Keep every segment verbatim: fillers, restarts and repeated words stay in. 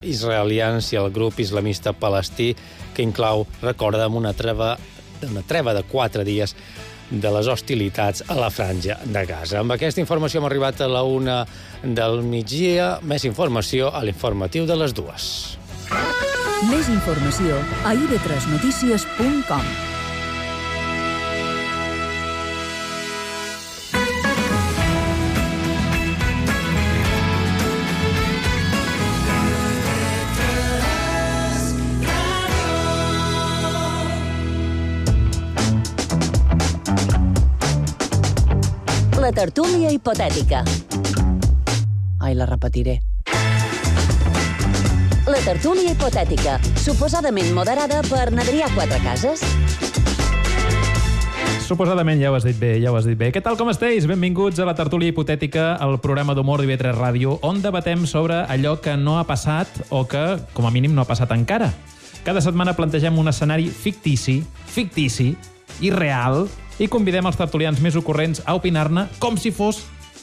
israelians i el grup islamista palestí, que inclou, recorda, una treva, una treva de quatre dies de les hostilitats a la franja de Gaza. Amb aquesta informació hem arribat a la una del migdia. Més informació a l'informatiu de les dues. Més informació a i be tres notícies punt com. La tertúlia hipotètica. Ai, la repetiré. La tertúlia hipotètica, suposadament moderada per n'Adrià Quatrecases. Suposadament, ja ho has dit bé, ja ho has dit bé. Què tal, com esteu? Benvinguts a la tertúlia hipotètica, el programa d'humor d'I B tres Ràdio, on debatem sobre allò que no ha passat o que, com a mínim, no ha passat encara. Cada setmana plantegem un escenari fictici, fictici, irreal, i convidem els tertulians més ocorrents a opinar-ne com si fos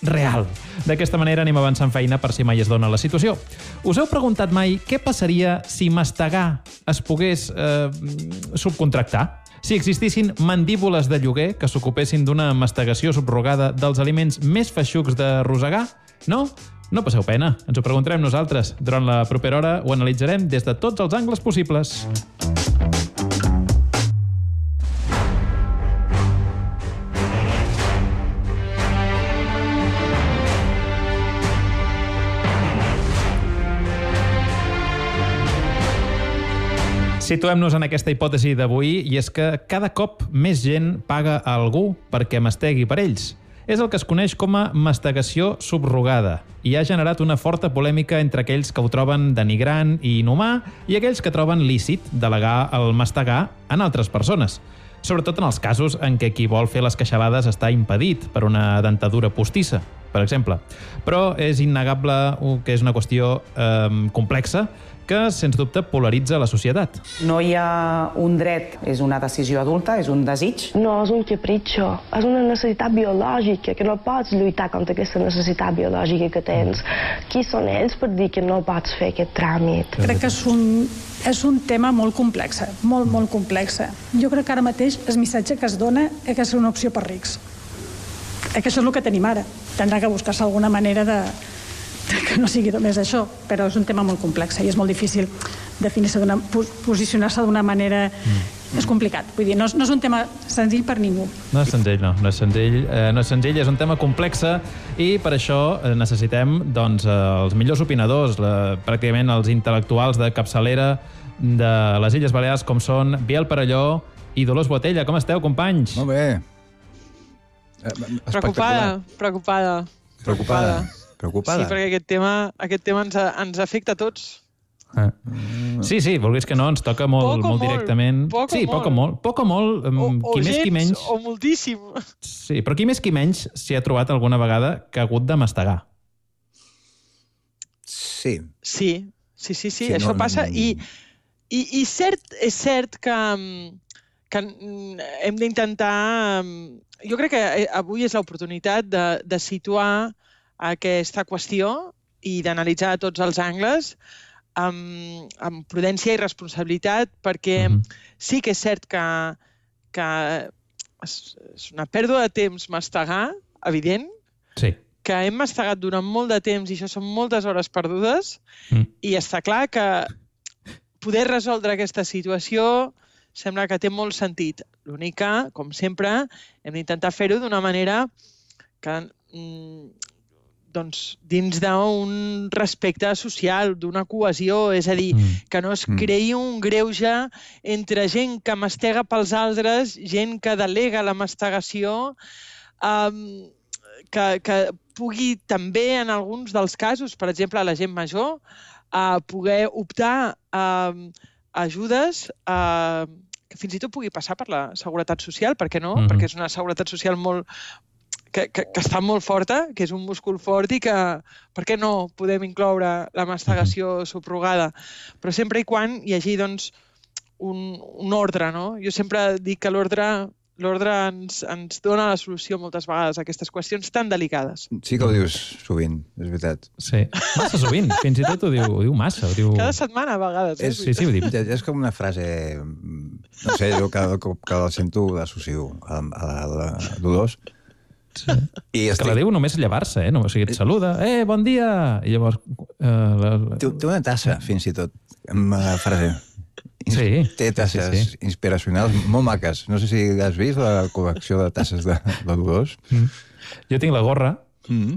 real. D'aquesta manera anem avançant feina per si mai es dona la situació. Us heu preguntat mai què passaria si mastegar es pogués eh, subcontractar? Si existissin mandíbules de lloguer que s'ocupessin d'una mastegació subrogada dels aliments més feixucs de rosegar? No? No passeu pena. Ens ho preguntarem nosaltres. Durant la propera hora ho analitzarem des de tots els angles possibles. Situem-nos en aquesta hipòtesi d'avui, i és que cada cop més gent paga a algú perquè mastegui per ells. És el que es coneix com a mastegació subrogada i ha generat una forta polèmica entre aquells que ho troben denigrant i inhumà i aquells que troben lícit delegar el mastegar en altres persones. Sobretot en els casos en què qui vol fer les queixalades està impedit per una dentadura postissa, per exemple. Però és innegable que és una qüestió eh, complexa que, sens dubte, polaritza la societat. No hi ha un dret, és una decisió adulta, és un desig. No és un capritxo, és una necessitat biològica, que no pots lluitar contra aquesta necessitat biològica que tens. Qui són ells per dir que no pots fer aquest tràmit? Crec que és un, és un tema molt complex, molt, molt complex. Jo crec que ara mateix el missatge que es dona és que és una opció per rics. És que això és el que tenim ara. Tindrà que buscar-se alguna manera de que no sigui només això, però és un tema molt complex i és molt difícil definir-se d'una, posicionar-se d'una manera... Mm. És complicat. Vull dir, no és, no és un tema senzill per ningú. No és senzill, no. No és senzill, eh, no és senzill, és un tema complex i per això necessitem doncs, els millors opinadors, la, pràcticament els intel·lectuals de capçalera de les Illes Balears, com són Biel Perelló i Dolors Botella. Com esteu, companys? Molt bé. Preocupada, preocupada. Preocupada. Preocupada. Sí, perquè aquest tema, aquest tema ens, ens afecta a tots. Ah. Sí, sí, vulguis que no, ens toca molt, molt directament. Poc o sí, molt. Poc o molt. Poc o molt, o, qui o més, qui menys. O moltíssim. Sí, però qui més, qui menys s'hi ha trobat alguna vegada que ha hagut de mastegar. Sí. Sí, sí, sí, sí, sí això no, passa. No... I, i, i cert, és cert que, que hem d'intentar... Jo crec que avui és l'oportunitat de, de situar aquesta qüestió i d'analitzar tots els angles amb, amb prudència i responsabilitat, perquè mm-hmm. sí que és cert que, que és, és una pèrdua de temps mastegar, evident, sí. que hem mastegat durant molt de temps i això són moltes hores perdudes, mm. i està clar que poder resoldre aquesta situació sembla que té molt sentit. L'únic que, com sempre, hem d'intentar fer-ho d'una manera que... Mm, doncs, dins d'un respecte social, d'una cohesió, és a dir, mm. que no es creï un greuge entre gent que mastega pels altres, gent que delega la mastegació, um, que, que pugui també, en alguns dels casos, per exemple, a la gent major, uh, poder optar a uh, ajudes uh, que fins i tot pugui passar per la seguretat social, per què no? Mm. Perquè és una seguretat social molt... Que, que, que està molt forta, que és un múscul fort i que, per què no podem incloure la mastegació subrogada? Però sempre i quan hi hagi doncs, un, un ordre, no? Jo sempre dic que l'ordre l'ordre ens, ens dona la solució moltes vegades a aquestes qüestions tan delicades. Sí que ho dius sovint, és veritat. Sí, massa sovint. Fins i tot ho diu, ho diu massa. Ho diu... Cada setmana, a vegades. Eh? És, sí, sí, ho dic. És com una frase... No sé, jo cada cop que la sento l'associo a, a, a, a Dolors. Sí. I estic... que la diu només llevar-se, eh? No, o sigui, et saluda, eh, bon dia! I llavors... Eh, la... té, té una tassa, fins i tot, amb la frase. Sí. Té tasses sí, sí. inspiracionals molt maques. No sé si has vist la col·lecció de tasses de, de Dolors. Mm. Jo tinc la gorra mm.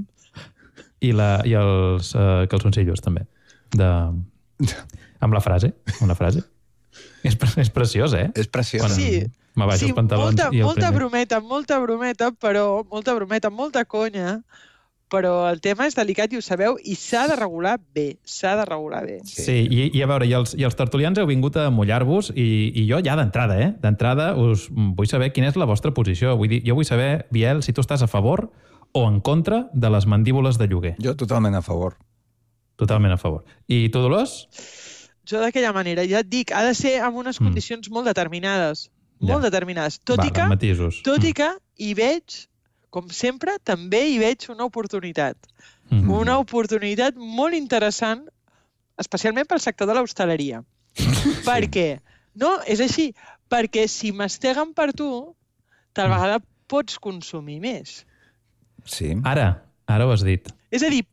i, la, i els uh, calçoncillos, també. De... Amb la frase. Amb la frase. És, pre és preciós, eh? És preciós. Quan sí. m'abaixo sí, els pantalons molta, i el molta primer. brometa, molta brometa, però molta brometa, molta conya, però el tema és delicat i ho sabeu, i s'ha de regular bé, s'ha de regular bé. Sí, sí i, i a veure, i els, i els tertulians heu vingut a mullar-vos, i, i jo ja d'entrada, eh? D'entrada us vull saber quina és la vostra posició. Vull dir, jo vull saber, Biel, si tu estàs a favor o en contra de les mandíbules de lloguer. Jo totalment a favor. Totalment a favor. I tu, Dolors? Jo d'aquella manera, ja et dic, ha de ser amb unes condicions mm. molt determinades, molt ja. determinades. Tot Va, i que, matisos. tot mm. i que hi veig, com sempre, també hi veig una oportunitat. Mm. Una oportunitat molt interessant, especialment pel sector de l'hostaleria. Sí. Per què? No, és així. Perquè si masteguen per tu, tal vegada pots consumir més. Sí. Ara, ara ho has dit. És a dir,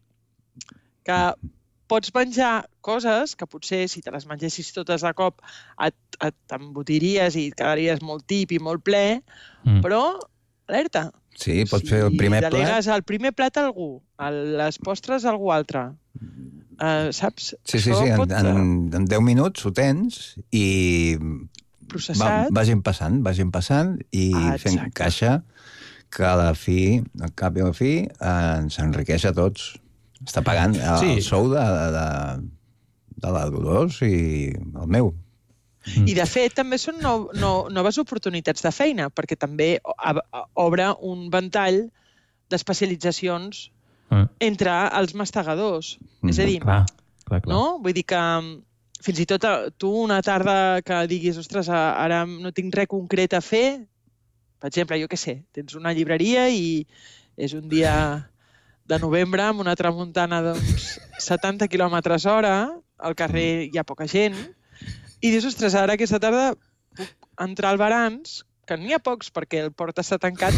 que pots menjar coses que potser, si te les mengessis totes de cop, et, et t'embotiries i et quedaries molt tip i molt ple, mm. però, alerta, sí, pots si fer el primer plat. Si delegues el primer plat a algú, les postres a algú altre, uh, saps? Sí, sí, sí, pot... en, en, en deu minuts ho tens i processat. Va, vagin passant, vagin passant i ah, fent caixa que a la fi, al cap i a la fi, eh, ens enriqueix a tots. Està pagant el, sí. el sou de, de, de la Dolors i el meu. Mm. I, de fet, també són no, no, noves oportunitats de feina, perquè també obre un ventall d'especialitzacions mm. entre els mastegadors. Mm. És a dir, clar, clar, clar. No? Vull dir que fins i tot tu una tarda que diguis, ostres, ara no tinc res concret a fer, per exemple, jo què sé, tens una llibreria i és un dia de novembre amb una tramuntana d'uns setanta quilòmetres hora, al carrer hi ha poca gent, i dius, ostres, ara aquesta tarda puc entrar al Barans, que n'hi ha pocs perquè el port està tancat,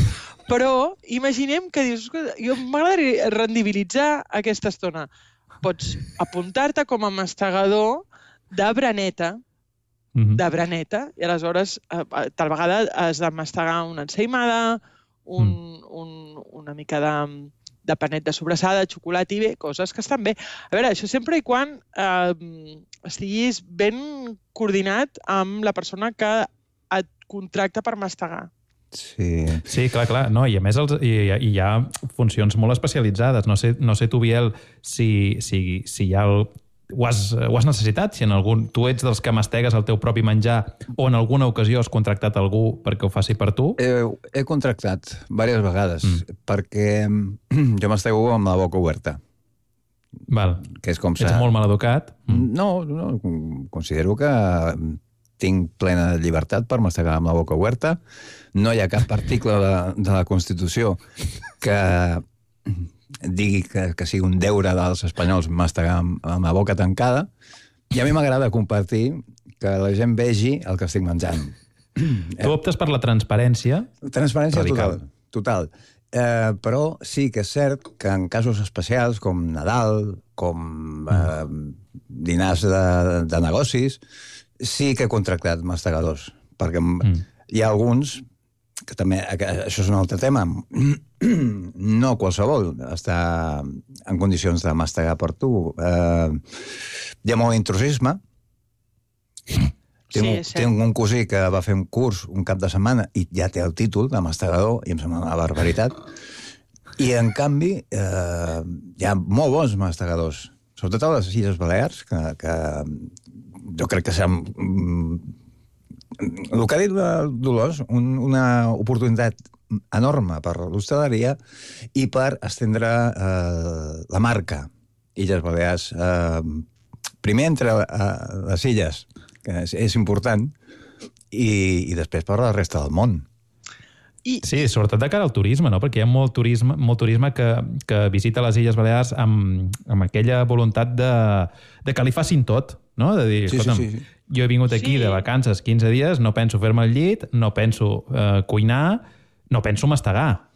però imaginem que dius, jo m'agradaria rendibilitzar aquesta estona. Pots apuntar-te com a mastegador de braneta, mm-hmm. de braneta, i aleshores tal vegada has de mastegar una ensaïmada, un, mm. un, una mica de... de panet de sobrassada, de xocolata i bé, coses que estan bé. A veure, això sempre i quan eh, estiguis ben coordinat amb la persona que et contracta per mastegar. Sí, sí clar, clar. No, i a més els, i, i hi ha funcions molt especialitzades. No sé, no sé tu, Biel, si, si, si hi ha el... Ho has, ho has necessitat? Si en algun, tu ets dels que mastegues el teu propi menjar o en alguna ocasió has contractat algú perquè ho faci per tu? He, he contractat diverses vegades, mm. perquè jo mastego amb la boca oberta. Val. Que és com ets molt mal educat? Mm. No, no, considero que tinc plena llibertat per mastegar amb la boca oberta. No hi ha cap article de, de la Constitució que... digui que, que sigui un deure dels espanyols mastegar amb, amb la boca tancada, i a mi m'agrada compartir que la gent vegi el que estic menjant. Tu optes per la transparència? Transparència radical. Total. total. Eh, però sí que és cert que en casos especials, com Nadal, com eh, dinars de, de negocis, sí que he contractat mastegadors, perquè mm. hi ha alguns que també, això és un altre tema, no qualsevol està en condicions de mastegar per tu. Eh, hi ha molt intrusisme. Sí, tinc, sí. tinc un cosí que va fer un curs un cap de setmana i ja té el títol de mastegador, i em sembla una barbaritat. I, en canvi, eh, hi ha molt bons mastegadors, sobretot a les Illes Balears, que, que jo crec que seran... El que ha dit Dolors, un, una oportunitat enorme per l'hostaleria i per estendre eh, la marca Illes Balears. Eh, primer entre eh, les illes, que és, és important, i, i després per la resta del món. I, sí, sobretot de cara al turisme, no? Perquè hi ha molt turisme, molt turisme que, que visita les Illes Balears amb, amb aquella voluntat de, de que li facin tot, no? De dir, sí, escolta'm, sí, sí, sí. jo he vingut aquí Sí. de vacances quinze dies, no penso fer-me el llit, no penso eh, cuinar, no penso mastegar.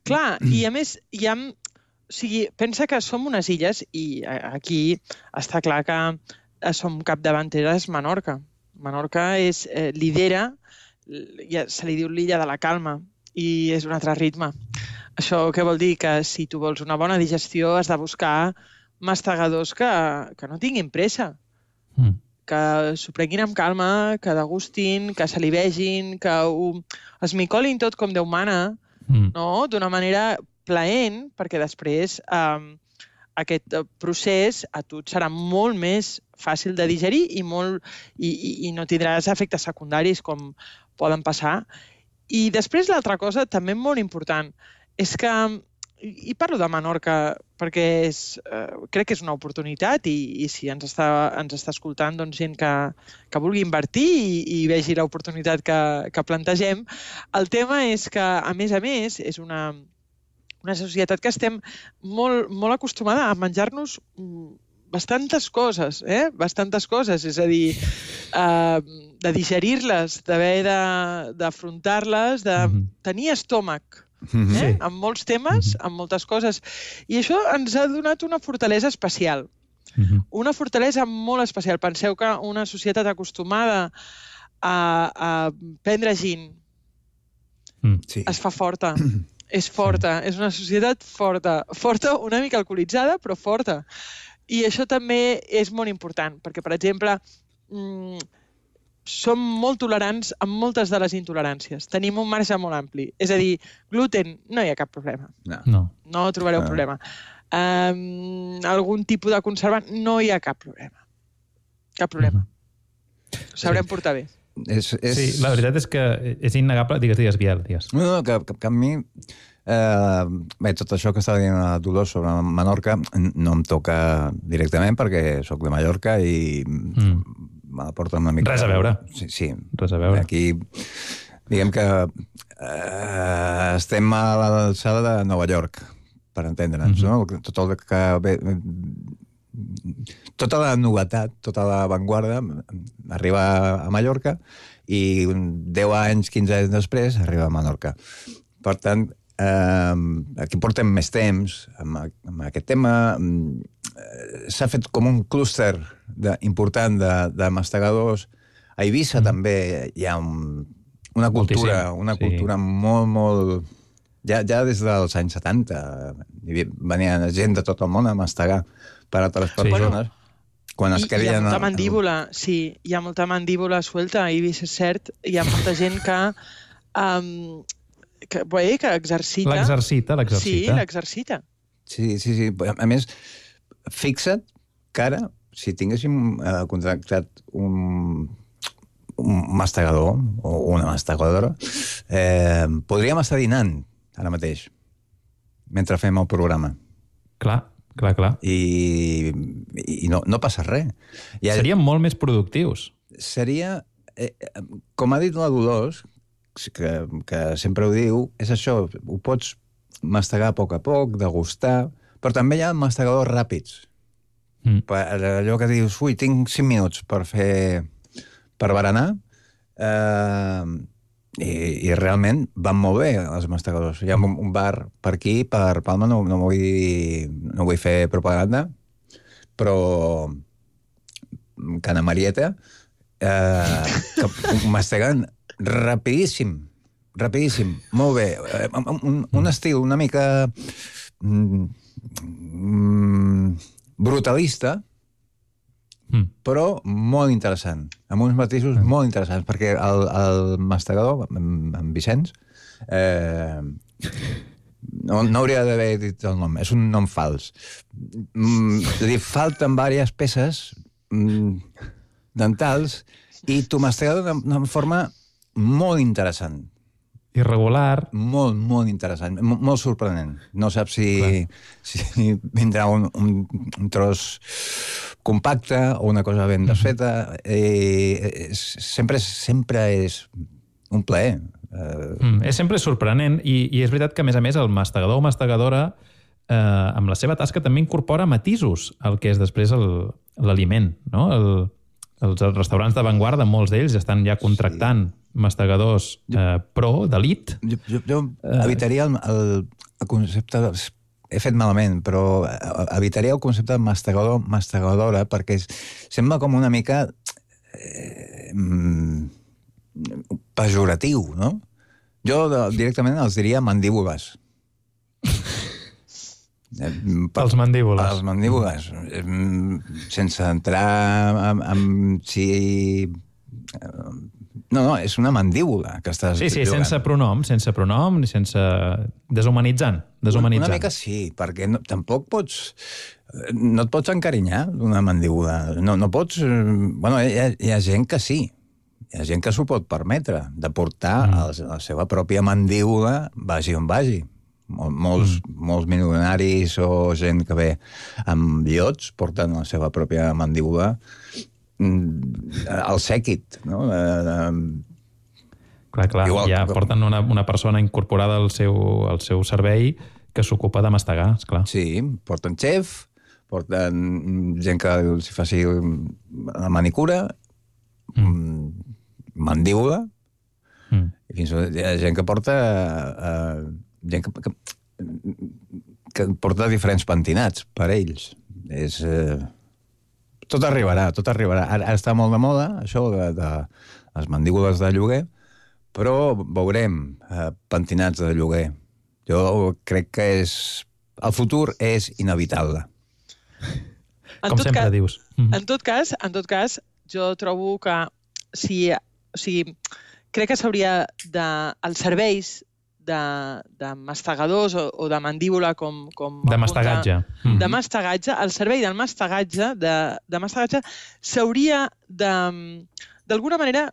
Clar, i a més hi ha... O sigui, pensa que som unes illes i aquí està clar que som capdavanteres Menorca. Menorca és, eh, lidera, ja se li diu l'illa de la calma i és un altre ritme. Això què vol dir? Que si tu vols una bona digestió has de buscar mastegadors que, que no tinguin pressa, Mm. que s'ho prenguin amb calma, que degustin, que se li vegin, que ho esmicolin tot com Déu mana, Mm. no? D'una manera plaent, perquè després eh, aquest procés a tu et serà molt més fàcil de digerir i, molt, i, i, i no tindràs efectes secundaris com poden passar. I després l'altra cosa, també molt important, és que, i parlo de Menorca perquè és, eh, crec que és una oportunitat i, i si ens està, ens està escoltant doncs, gent que, que vulgui invertir i, i vegi l'oportunitat que, que plantegem, el tema és que, a més a més, és una... una societat que estem molt, molt acostumada a menjar-nos bastantes coses, eh? Bastantes coses, és a dir, eh, de digerir-les, d'haver d'afrontar-les, de Mhm. tenir estómac, Mhm. eh? Sí. Amb molts temes, amb moltes coses. I això ens ha donat una fortalesa especial. Mhm. Una fortalesa molt especial. Penseu que una societat acostumada a, a prendre gin Mm. Sí. es fa forta. És forta, és una societat forta. Forta, una mica alcoholitzada, però forta. I això també és molt important, perquè, per exemple, mmm, som molt tolerants amb moltes de les intoleràncies. Tenim un marge molt ampli. És a dir, gluten, no hi ha cap problema. No. No. No trobareu Ah. problema. Um, algun tipus de conservant, no hi ha cap problema. Cap problema. Ho sabrem Sí. portar bé. És, és... Sí, la veritat és que és innegable. Digues, digues, Biel, digues. No, no, que, que, que a mi... Eh, bé, tot això que estava dient a Dolors sobre Menorca no em toca directament perquè sóc de Mallorca i Mm. me la porta una mica... Res a veure. Sí, sí. Res a veure. Aquí, diguem que eh, estem a l'alçada de Nova York, per entendre'ns, Mhm. no? Tot el que... Bé, tota la novetat, tota l'avantguarda arriba a Mallorca i deu anys, quinze anys després arriba a Menorca. Per tant, eh, aquí portem més temps amb, amb aquest tema. Eh, S'ha fet com un clúster de, important de, de mastegadors. A Eivissa mm. també hi ha un, una cultura, Moltíssim, una sí. cultura molt, molt... Ja, ja des dels anys setanta venia gent de tot el món a mastegar per a altres Sí. persones. Quan es I, hi ha creien... molta mandíbula, sí, hi ha molta mandíbula suelta, i és cert, hi ha molta gent que, um, que, bé, que exercita. L'exercita, Sí, l'exercita. l'exercita. Sí, sí, sí. A més, fixa't que ara, si tinguéssim eh, contractat un, un mastegador o una mastegadora, eh, podríem estar dinant ara mateix, mentre fem el programa. Clar, clar, clar. I, i no, no passa res. I ara- Seríem molt més productius. seria, eh, eh, com ha dit la Dolors, que, que sempre ho diu, és això, ho pots mastegar a poc a poc, degustar, però també hi ha mastegadors ràpids. Mm. Per allò que dius, ui, tinc cinc minuts per fer, per berenar, eh, i, i realment van molt bé els mastegadors. Hi ha un, un bar per aquí, per Palma, no, no, vull, no vull fer propaganda, però Cana Marieta, eh, que masteguen rapidíssim, rapidíssim, molt bé. Eh, Un, un estil una mica mm, mm, brutalista, Mm. però molt interessant, amb uns matisos mm. molt interessants, perquè el, el mastegador, en, en Vicenç, eh, no, no hauria d'haver dit el nom, és un nom fals. Mm, li falten diverses peces mm, dentals i tu mastegador d'una forma molt interessant. Irregular. Molt, molt interessant, molt, molt sorprenent. No saps si, si vindrà un, un, un tros compacte o una cosa ben desfeta. Eh, és, sempre, és, sempre és un plaer Uh... Mm, és sempre sorprenent i, i és veritat que, a més a més, el mastegador o mastegadora eh, amb la seva tasca també incorpora matisos al que és després l'aliment, no? El, els, els restaurants d'avantguarda, molts d'ells estan ja contractant sí. mastegadors eh, pro, d'elit. Jo, jo, jo evitaria el, el, el concepte... De, he fet malament, però evitaria el concepte de mastegador, mastegadora, perquè és, sembla com una mica eh, pejoratiu, no? Jo directament els diria mandíbules. Pels mandíbules. Pels mandíbules. Sense entrar en, en si... No, no, és una mandíbula que estàs Sí, sí, jugant. sense pronom, sense pronom, ni sense... Deshumanitzant, deshumanitzant. Una mica sí, perquè no, tampoc pots... No et pots encarinyar d'una mandíbula. No, no pots... Bueno, hi ha, hi ha gent que sí. Hi ha gent que s'ho pot permetre, de portar mm. el, la seva pròpia mandíbula vagi on vagi. Mol, molts, mm. molts milionaris o gent que ve amb iots porten la seva pròpia mandíbula al sèquit, no? Clar, clar, igual, ja porten una, una persona incorporada al seu, al seu servei que s'ocupa de mastegar, esclar. Sí, porten xef, porten gent que els faci la manicura, mm. mandíbula, mm. i fins i tot hi ha gent que porta uh, gent que, que, que porta diferents pentinats per ells. És... Uh, Tot arribarà, tot arribarà. Ara, ara està molt de moda, això de, de les mandíbules de lloguer, però veurem eh, pentinats de lloguer. Jo crec que és... El futur és inevitable. Com sempre cas, dius. En tot cas, en tot cas, jo trobo que si... O sigui, crec que s'hauria de... Els serveis de, de mastegadors o, o de mandíbula com... com de mastegatge. De, de mastegatge, el servei del mastegatge, de, de mastegatge s'hauria de, d'alguna manera,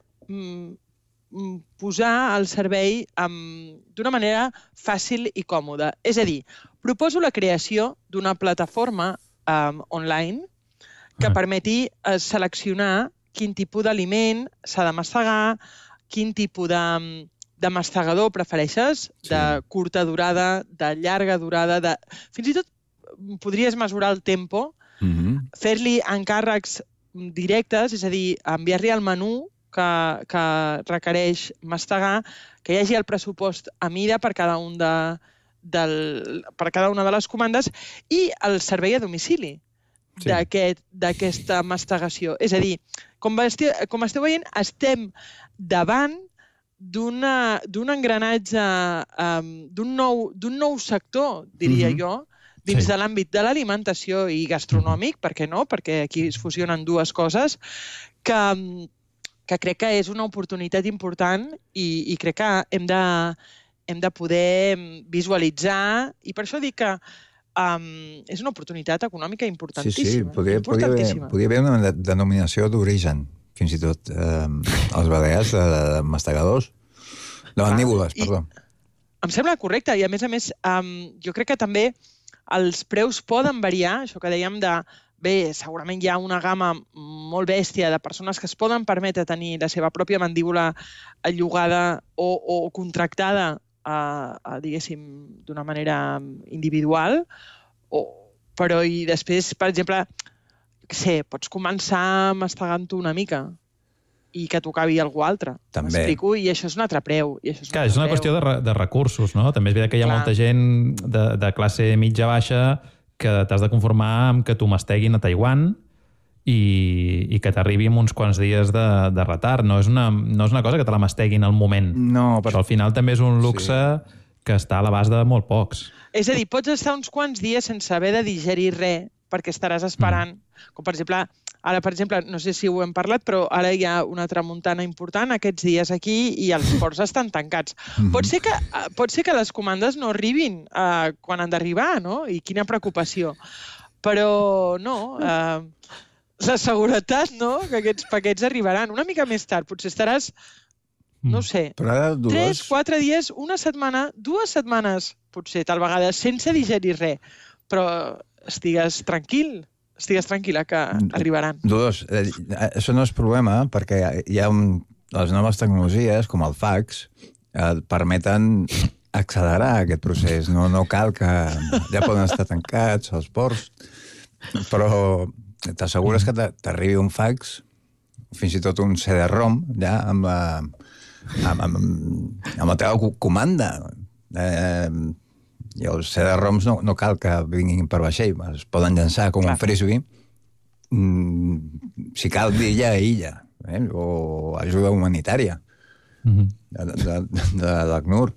posar al servei d'una manera fàcil i còmoda. És a dir, proposo la creació d'una plataforma um, online que permeti uh, seleccionar quin tipus d'aliment s'ha de mastegar, quin tipus de... de mastegador prefereixes, sí. de curta durada, de llarga durada, de... fins i tot podries mesurar el tempo, mm-hmm. fer-li encàrrecs directes, és a dir, enviar-li el menú que, que requereix mastegar, que hi hagi el pressupost a mida per cada, un de, del, per cada una de les comandes i el servei a domicili sí. d'aquesta mastegació. És a dir, com esteu, com esteu veient, estem davant d'un engranatge, um, d'un nou, d'un nou sector, diria mm-hmm. jo, dins sí. de l'àmbit de l'alimentació i gastronòmic, per què no? Perquè aquí es fusionen dues coses, que, que crec que és una oportunitat important i, i crec que hem de, hem de poder visualitzar, i per això dic que um, és una oportunitat econòmica importantíssima. Sí, sí, podria, importantíssima. Podria haver una denominació d'origen, fins i tot eh, els balears de, de mastegadors, de mandíbules, perdó. Em sembla correcte, i a més a més, um, jo crec que també els preus poden variar, això que dèiem de, bé, segurament hi ha una gamma molt bèstia de persones que es poden permetre tenir la seva pròpia mandíbula llogada o, o contractada, a, a, diguéssim, d'una manera individual, o, però i després, per exemple, sé, pots començar mastegant-ho una mica i que t'ho acabi algú altre. També. M'explico? I això és un altre preu. I això és, Clar, és una qüestió de, re, de recursos, no? També és veritat que hi ha Clar. molta gent de, de classe mitja-baixa que t'has de conformar amb que t'ho masteguin a Taiwan i, i que t'arribi amb uns quants dies de, de retard. No és, una, no és una cosa que te la masteguin al moment. No, per... Això al final també és un luxe sí. que està a l'abast de molt pocs. És a dir, pots estar uns quants dies sense haver de digerir res perquè estaràs esperant. Mm. Com per exemple, ara, per exemple, no sé si ho hem parlat, però ara hi ha una tramuntana important aquests dies aquí i els ports estan tancats. Mm-hmm. Pot ser que, pot ser que les comandes no arribin uh, quan han d'arribar, no? I quina preocupació. Però no, uh, la seguretat, no?, que aquests paquets arribaran una mica més tard. Potser estaràs, no ho sé, dues... tres, quatre dies, una setmana, dues setmanes, potser, tal vegada, sense digerir res. Però estigues tranquil, estigues tranquil·la que arribaran. Dos, això no és problema, perquè hi ha un, les noves tecnologies, com el fax, et permeten accelerar aquest procés. No, no cal que... Ja poden estar tancats els ports, però t'assegures que t'arribi un fax, fins i tot un C D ROM, ja, amb la, amb, amb, amb la teva comanda. Eh, I els C D ROMs no, no cal que vinguin per vaixell, es poden llançar com Clar. un frisbee, mm, si cal d'illa a illa, eh, o ajuda humanitària mm-hmm. de, de, de, de l'ACNUR.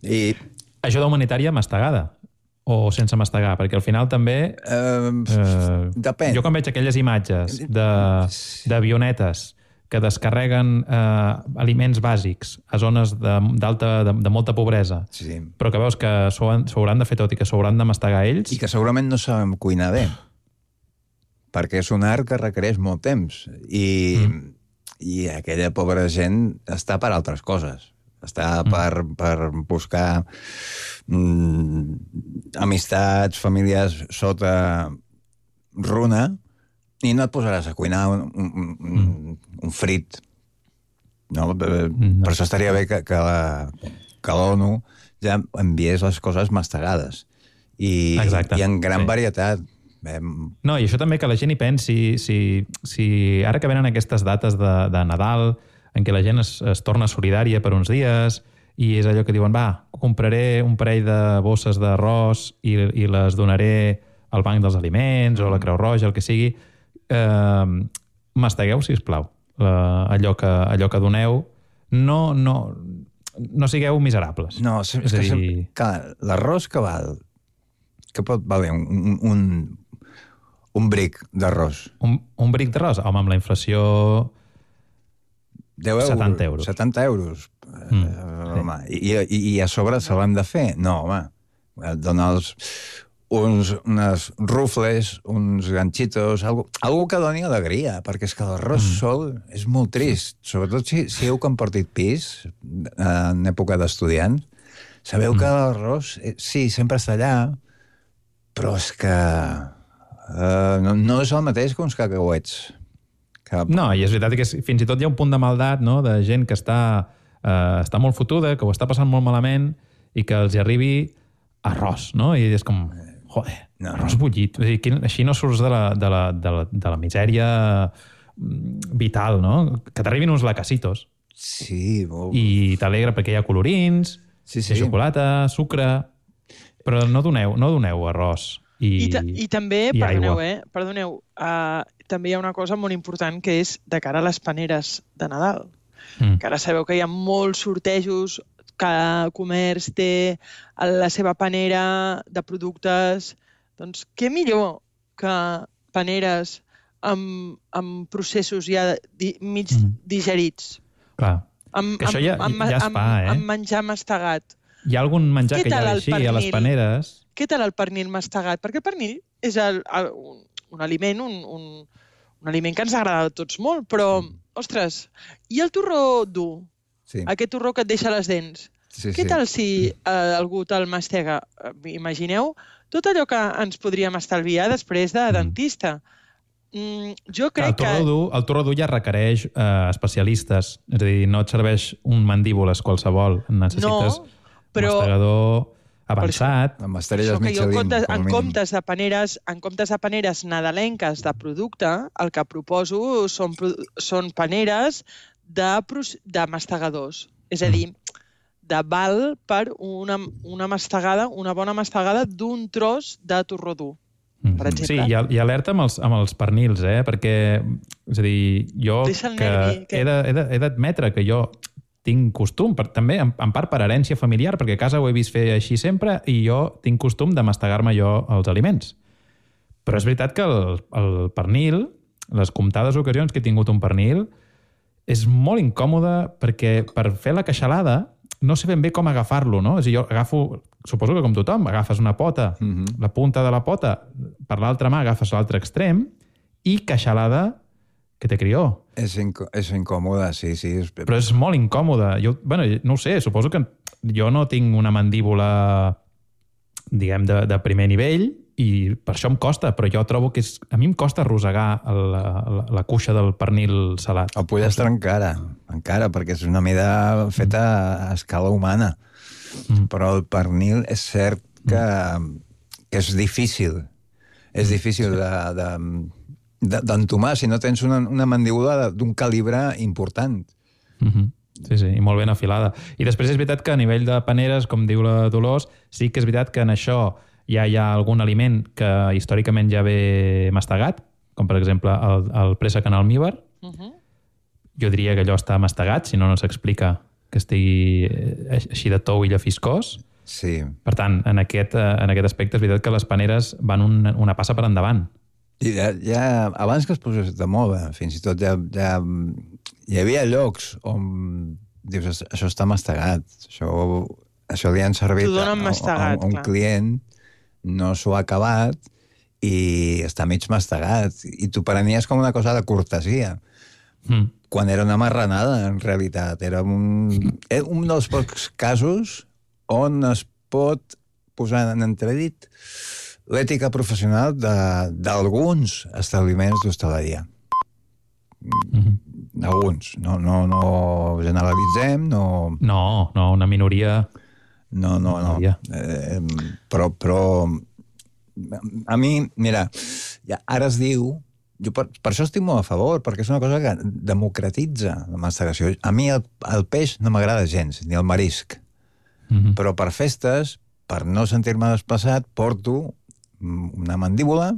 I... Ajuda humanitària mastegada o sense mastegar? Perquè al final també... Uh, eh, depèn. Jo quan veig aquelles imatges d'avionetes que descarreguen eh, aliments bàsics a zones de, d'alta, de, de molta pobresa, sí. però que veus que s'ho hauran de fer tot i que s'ho hauran de mastegar ells... I que segurament no sabem cuinar bé, perquè és un art que requereix molt temps. I, mm. i aquella pobra gent està per altres coses. Està per, per buscar mm, amistats, famílies sota runa, i no et posaràs a cuinar un, un, un, un frit. No? Per no. això estaria bé que, que, la, que l'ONU ja enviés les coses mastegades. I, Exacte. i en gran sí. varietat. No, i això també que la gent hi pensi, si, si ara que venen aquestes dates de, de Nadal, en què la gent es, es torna solidària per uns dies i és allò que diuen, va, compraré un parell de bosses d'arròs i, i les donaré al Banc dels Aliments o a la Creu Roja, el que sigui. Eh, mastegueu, sisplau, eh, allò, que, allò que doneu. No, no, no sigueu miserables. No, és, és que dir... clar, l'arròs que val, que pot valer un, un, un bric d'arròs. Un, un bric d'arròs? Home, amb la inflació... deu euros, setanta euros. setanta euros. Mm, uh, home, sí. i, i, I a sobre se l'han de fer? No, home. Donar els, uns, unes rufles, uns ganxitos, algo, algo que doni alegria, perquè és que l'arròs mm. sol és molt trist. Sobretot si, si heu compartit pis en època d'estudiants. Sabeu mm. que l'arròs, sí, sempre està allà, però és que uh, no, no és el mateix que uns cacauets. No, i és veritat que fins i tot hi ha un punt de maldat, no?, de gent que està, eh, està molt fotuda, que ho està passant molt malament i que els hi arribi arròs, no? I és com, joder, no, arròs bullit. O sigui, així no surts de la, de la, de la, de la misèria vital, no? Que t'arribin uns lacasitos. Sí, molt... I t'alegra perquè hi ha colorins, sí, sí. hi ha xocolata, sucre... Però no doneu, no doneu arròs. I, I, ta I també, i perdoneu, aigua. eh? Perdoneu, uh, també hi ha una cosa molt important que és de cara a les paneres de Nadal. Mm. Que ara sabeu que hi ha molts sortejos, cada comerç té la seva panera de productes. Doncs què millor que paneres amb, amb processos ja di, mig mm. digerits. Clar, amb, que això ja, amb, ja es fa, amb, eh? Amb menjar mastegat. Hi ha algun menjar Què que hi ha així a les paneres... Què tal el pernil mastegat? Perquè el pernil és el, el, un, un aliment, un, un, un aliment que ens agrada a tots molt, però, sí. ostres, i el torró dur? Sí. Aquest torró que et deixa les dents? Sí, Què sí. tal si eh, algú te'l mastega? Imagineu tot allò que ens podríem estalviar després de dentista. Mm, jo crec el torró dur, que... El torró dur ja requereix eh, especialistes, és a dir, no et serveix un mandíbules qualsevol, necessites no, però... un mastegador... avançat. Amb estrelles Michelin. En comptes, en, comptes de paneres, en comptes de paneres nadalenques de producte, el que proposo són, són paneres de, de mastegadors. És a dir, de val per una, una mastegada, una bona mastegada d'un tros de torró dur, per exemple. Sí, i, i alerta amb els, amb els pernils, eh? Perquè, és a dir, jo que nervi, que... he d'admetre que jo tinc costum, per, també en, en part per herència familiar, perquè a casa ho he vist fer així sempre i jo tinc costum de mastegar-me jo els aliments. Però és veritat que el, el pernil, les comptades ocasions que he tingut un pernil, és molt incòmode perquè per fer la queixalada no sé ben bé com agafar-lo, no? És a dir, jo agafo, suposo que com tothom, agafes una pota, mm-hmm. la punta de la pota, per l'altra mà agafes l'altre extrem i queixalada que té crió. És, inc és incòmode, sí, sí. És... Però és molt incòmode. Jo, bueno, no ho sé, suposo que jo no tinc una mandíbula, diguem, de, de primer nivell i per això em costa, però jo trobo que és, a mi em costa arrossegar la, la, la cuixa del pernil salat. El pollastre encara, encara, perquè és una mida feta a escala humana. Mm. Però el pernil és cert que, mm. que és difícil. És difícil sí. de, de, d'entomar si no tens una, una mandíbula d'un calibre important. Mm-hmm. Sí, sí, i molt ben afilada. I després és veritat que a nivell de paneres, com diu la Dolors, sí que és veritat que en això ja hi ha algun aliment que històricament ja ve mastegat, com per exemple el, el préssec en almíbar. Uh-huh. Jo diria que allò està mastegat, si no, no s'explica que estigui així de tou i llafiscós. Sí. Per tant, en aquest, en aquest aspecte és veritat que les paneres van una, una passa per endavant. I ja, ja, abans que es posés de moda, fins i tot ja, ja hi havia llocs on dius, això està mastegat, això, això li han servit a, mastegat, a, a un clar. client, no s'ho ha acabat i està mig mastegat. I t'ho prenies com una cosa de cortesia. Mm. Quan era una marranada, en realitat. Era un, era un dels pocs casos on es pot posar en entredit l'ètica professional d'alguns establiments d'hostaleria. Mm-hmm. Alguns. No, no, no generalitzem, no... No, no, una minoria... No, no, no. Eh, però, però... A mi, mira, ja, ara es diu... Jo per, per això estic molt a favor, perquè és una cosa que democratitza la mastegació. A mi el, el peix no m'agrada gens, ni el marisc. Mm-hmm. Però per festes, per no sentir-me desplaçat, porto una mandíbula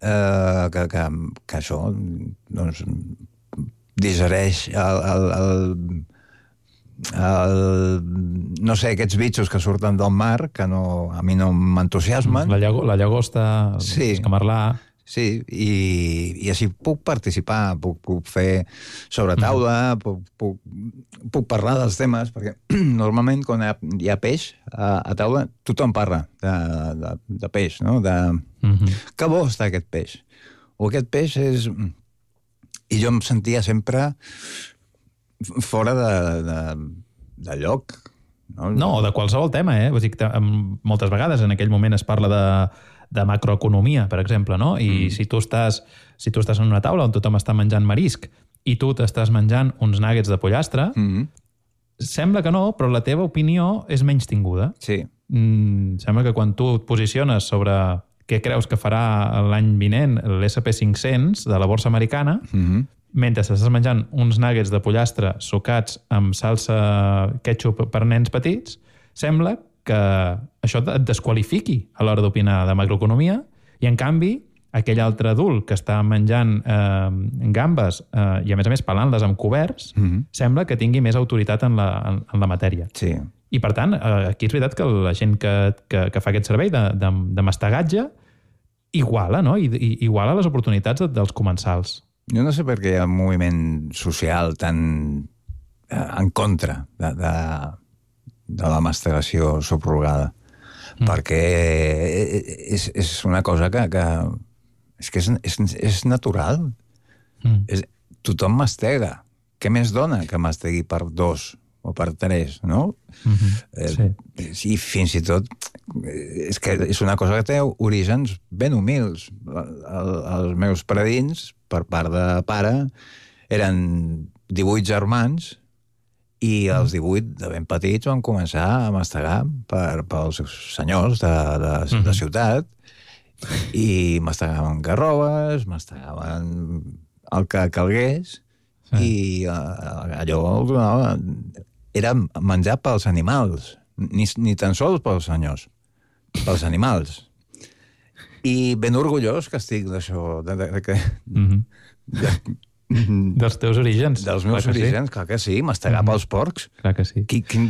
eh, que, que, que això doncs, digereix el, el, el, el, no sé, aquests bitxos que surten del mar, que no, a mi no m'entusiasmen. La, llago, la llagosta, sí. el camarlà... Sí, i, i així puc participar, puc, puc fer sobre taula, mm. puc, puc, puc parlar dels temes, perquè normalment quan hi ha, hi ha peix a, a taula, tothom parla de, de, de peix, no? De, mm-hmm. Que bo està aquest peix. O aquest peix és... I jo em sentia sempre fora de, de, de lloc. No, no de qualsevol tema, eh? Vull dir que moltes vegades en aquell moment es parla de... de macroeconomia, per exemple, no? I mm. si tu estàs si tu estàs en una taula on tothom està menjant marisc i tu t'estàs menjant uns nuggets de pollastre, mm. sembla que no, però la teva opinió és menys tinguda. Sí. Mm, sembla que quan tu et posiciones sobre què creus que farà l'any vinent l'S and P cinc-cents de la borsa americana, mm-hmm. mentre estàs menjant uns nuggets de pollastre sucats amb salsa ketchup per nens petits, sembla que això et desqualifiqui a l'hora d'opinar de macroeconomia i, en canvi, aquell altre adult que està menjant eh, gambes eh, i, a més a més, pelant-les amb coberts, mm-hmm. sembla que tingui més autoritat en la, en, en la matèria. Sí. I, per tant, eh, aquí és veritat que la gent que, que, que fa aquest servei de, de, de mastegatge iguala, no? I, i, iguala les oportunitats de, dels comensals. Jo no sé per què hi ha un moviment social tan eh, en contra de... de... de la mastegació subrogada. Mm. Perquè és, és una cosa que, que és que és, és, és natural. Mm. És, tothom mastega. Què més dona que mastegui per dos o per tres, no? Mm-hmm. Eh, sí. sí, fins i tot és que és una cosa que té orígens ben humils. El, els meus predins, per part de pare, eren divuit germans i els divuit, de ben petits, van començar a mastegar per, pels senyors de, de, mm-hmm. de ciutat i mastegaven garroves, mastegaven el que calgués sí. i uh, allò donava... Era menjar pels animals, ni, ni tan sols pels senyors, pels animals. I ben orgullós que estic d'això, de, de, de, de, mm-hmm. de, dels teus orígens. Dels meus clar orígens, sí. Clar que sí, mastegar mm-hmm. pels porcs. Clar que sí. Qui, qui,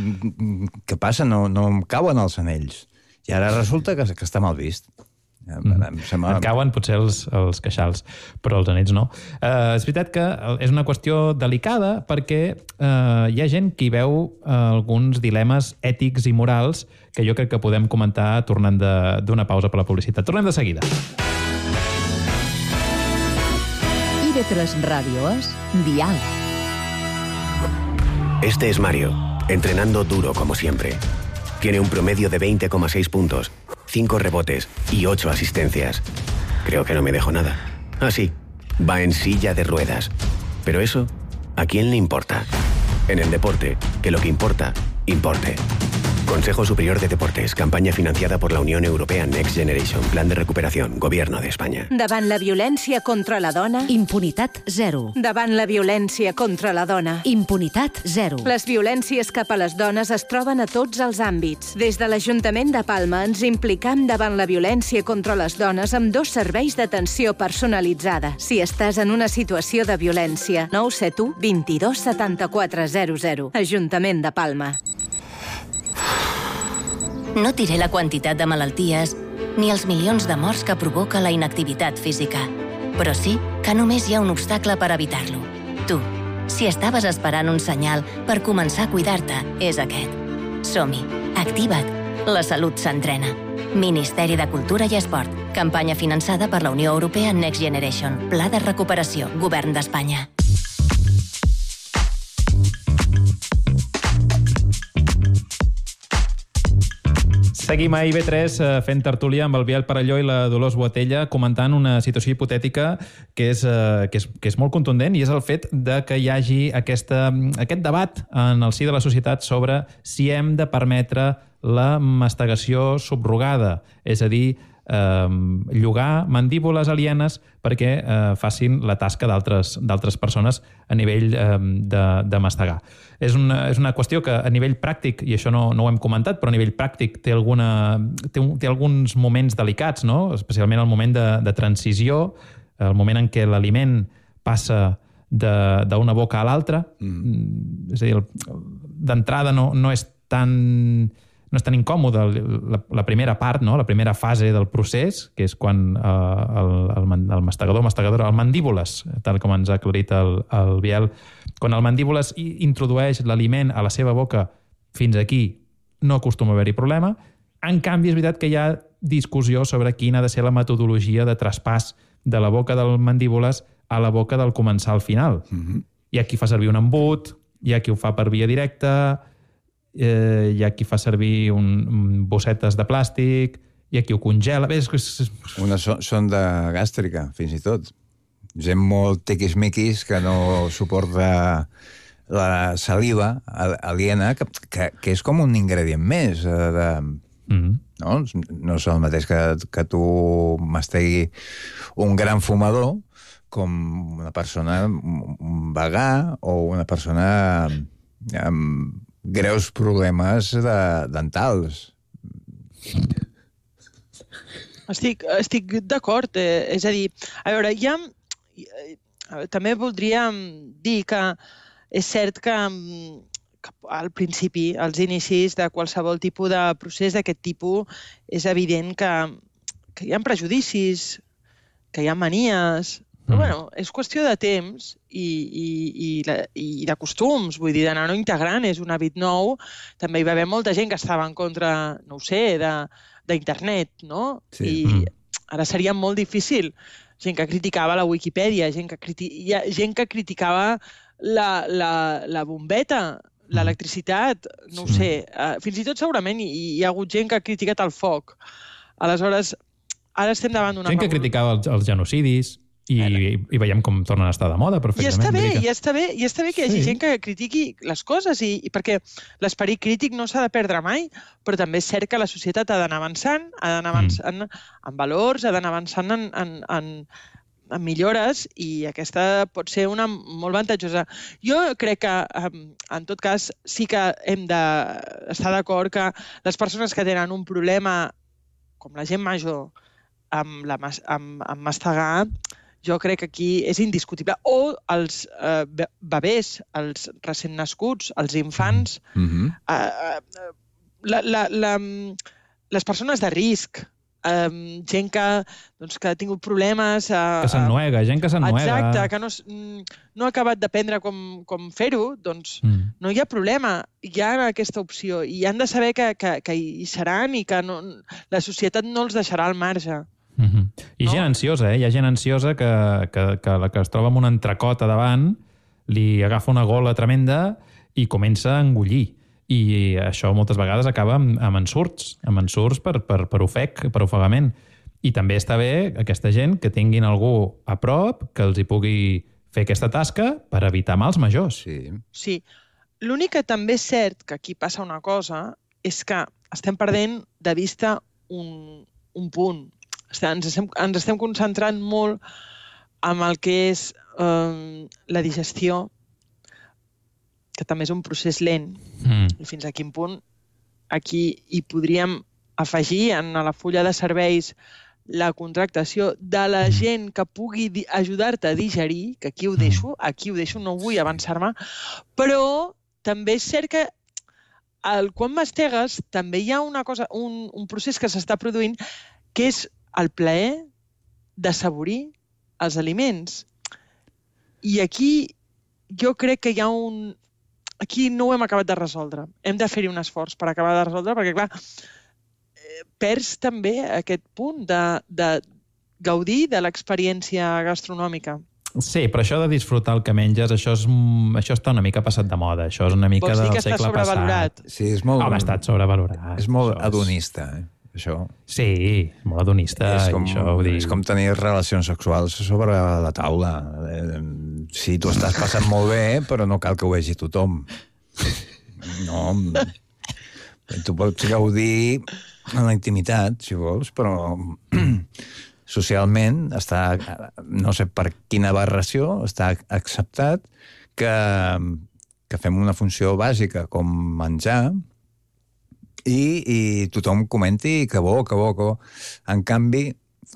què passa? No, no em cauen els anells. I ara resulta que, que està mal vist. Mm. Sembla... Et cauen potser els, els queixals, però els anells no. Uh, és veritat que és una qüestió delicada perquè uh, hi ha gent que hi veu uh, alguns dilemes ètics i morals que jo crec que podem comentar tornant d'una pausa per la publicitat. Tornem de seguida. I V tres Radio es Dial. Este es Mario, entrenando duro como siempre. Tiene un promedio de veinte coma seis puntos, cinco rebotes y ocho asistencias. Creo que no me dejo nada. Ah, sí, va en silla de ruedas. Pero eso, ¿a quién le importa? En el deporte, que lo que importa, importe. Consejo Superior de Deportes, campaña financiada por la Unión Europea Next Generation, Plan de Recuperación, Gobierno de España. Davant la violència contra la dona... Impunitat zero. Davant la violència contra la dona... Impunitat zero. Les violències cap a les dones es troben a tots els àmbits. Des de l'Ajuntament de Palma ens implicam davant la violència contra les dones amb dos serveis d'atenció personalitzada. Si estàs en una situació de violència, nou set u, vint-i-dos, setanta-quatre, zero zero. Ajuntament de Palma. No diré la quantitat de malalties ni els milions de morts que provoca la inactivitat física, però sí que només hi ha un obstacle per evitar-lo. Tu, si estaves esperant un senyal per començar a cuidar-te, és aquest. Som-hi, activa't. La salut s'entrena. Ministeri de Cultura i Esport. Campanya finançada per la Unió Europea Next Generation. Pla de recuperació. Govern d'Espanya. Seguim a I B tres fent tertúlia amb el Biel Parelló i la Dolors Boatella comentant una situació hipotètica que és, que és, que és molt contundent i és el fet de que hi hagi aquesta, aquest debat en el si de la societat sobre si hem de permetre la mastegació subrogada, és a dir, eh, llogar mandíbules alienes perquè eh, facin la tasca d'altres d'altres persones a nivell eh, de, de mastegar. És una, és una qüestió que a nivell pràctic, i això no, no ho hem comentat, però a nivell pràctic té, alguna, té, un, té alguns moments delicats, no? Especialment el moment de, de transició, el moment en què l'aliment passa d'una boca a l'altra. Mm. És a dir, d'entrada no, no és tan... no és tan incòmode la, la primera part, no? La primera fase del procés, que és quan eh, el, el, el mastegador, mastegadora, el mandíbules, tal com ens ha aclarit el, el Biel, quan el mandíbules introdueix l'aliment a la seva boca fins aquí, no acostuma a haver-hi problema. En canvi, és veritat que hi ha discussió sobre quina ha de ser la metodologia de traspàs de la boca del mandíbules a la boca del comensal final. Mm-hmm. Hi ha qui fa servir un embut, hi ha qui ho fa per via directa, Eh, hi ha qui fa servir un, un bossetes de plàstic, hi ha qui ho congela... Bé, és, és... Una so sonda gàstrica, fins i tot. Gent molt tiquismiquis que no suporta la saliva aliena, que, que, que és com un ingredient més. De, mm-hmm. no? no és el mateix que, que tu mastegui un gran fumador com una persona un vegà o una persona amb greus problemes de, dentals. Estic, estic d'acord. Eh, és a dir, a veure, ja... Eh, també voldríem dir que és cert que, que al principi, als inicis de qualsevol tipus de procés d'aquest tipus, és evident que, que hi ha prejudicis, que hi ha manies... Però, bueno, és qüestió de temps i, i, i, i de costums, vull dir, d'anar-ho integrant, és un hàbit nou. També hi va haver molta gent que estava en contra, no ho sé, d'internet, no? Sí. I ara seria molt difícil. Gent que criticava la Wikipedia, gent que, criti... gent que criticava la, la, la bombeta, l'electricitat, no ho sé. Fins i tot segurament hi, hi ha hagut gent que ha criticat el foc. Aleshores, ara estem davant d'una... Gent que criticava els, els genocidis... I, i veiem com tornen a estar de moda perfectament. I està bé, i està bé, i està bé que hi hagi sí. gent que critiqui les coses, i, i perquè l'esperit crític no s'ha de perdre mai, però també és cert que la societat ha d'anar avançant, ha d'anar avançant mm. en valors, ha d'anar avançant en, en, en, en millores, i aquesta pot ser una molt avantatjosa. Jo crec que, en tot cas, sí que hem d'estar d'acord que les persones que tenen un problema, com la gent major, amb, la, amb, amb mastegar, jo crec que aquí és indiscutible. O els eh, bebès, els recent nascuts, els infants, mm-hmm. eh, la, la, la, les persones de risc, eh, gent que, doncs, que ha tingut problemes... Eh, que s'ennuega, gent que s'ennuega. Exacte, que no, no ha acabat d'aprendre com, com fer-ho, doncs mm. no hi ha problema. Hi ha aquesta opció i han de saber que, que, que hi seran i que no, la societat no els deixarà al marge. Mm-hmm. I no? Gent ansiosa, eh? Hi ha gent ansiosa que, que, que la que es troba amb un entrecot a davant li agafa una gola tremenda i comença a engullir. i això moltes vegades acaba amb, amb ensurts, amb ensurts per, per, per ofec, per ofegament. I també està bé aquesta gent que tinguin algú a prop que els hi pugui fer aquesta tasca per evitar mals majors. Sí. Sí. L'únic que també és cert que aquí passa una cosa és que estem perdent de vista un, un punt. Ens estem, ens estem concentrant molt en el que és eh, la digestió, que també és un procés lent. Mm. I fins a quin punt aquí hi podríem afegir en la fulla de serveis la contractació de la gent que pugui ajudar-te a digerir, que aquí ho deixo, aquí ho deixo, no vull avançar-me, però també és cert que el, quan mastegues també hi ha una cosa, un, un procés que s'està produint que és el plaer de saborir els aliments. I aquí jo crec que hi ha un... Aquí no ho hem acabat de resoldre. Hem de fer-hi un esforç per acabar de resoldre, perquè, clar, perds també aquest punt de, de gaudir de l'experiència gastronòmica. Sí, però això de disfrutar el que menges, això, és, això està una mica passat de moda. Això és una mica del segle passat. Sí, és molt... Home, ha estat sobrevalorat. És molt hedonista, eh? Això. Sí, molt hedonista. És com, això, vull dir... és com tenir relacions sexuals sobre la taula. Sí, tu estàs passant molt bé, però no cal que ho vegi tothom. No. Tu pots gaudir en la intimitat, si vols, però socialment està, no sé per quina aberració, està acceptat que, que fem una funció bàsica com menjar i, i tothom comenti que bo, que bo, que bo. En canvi,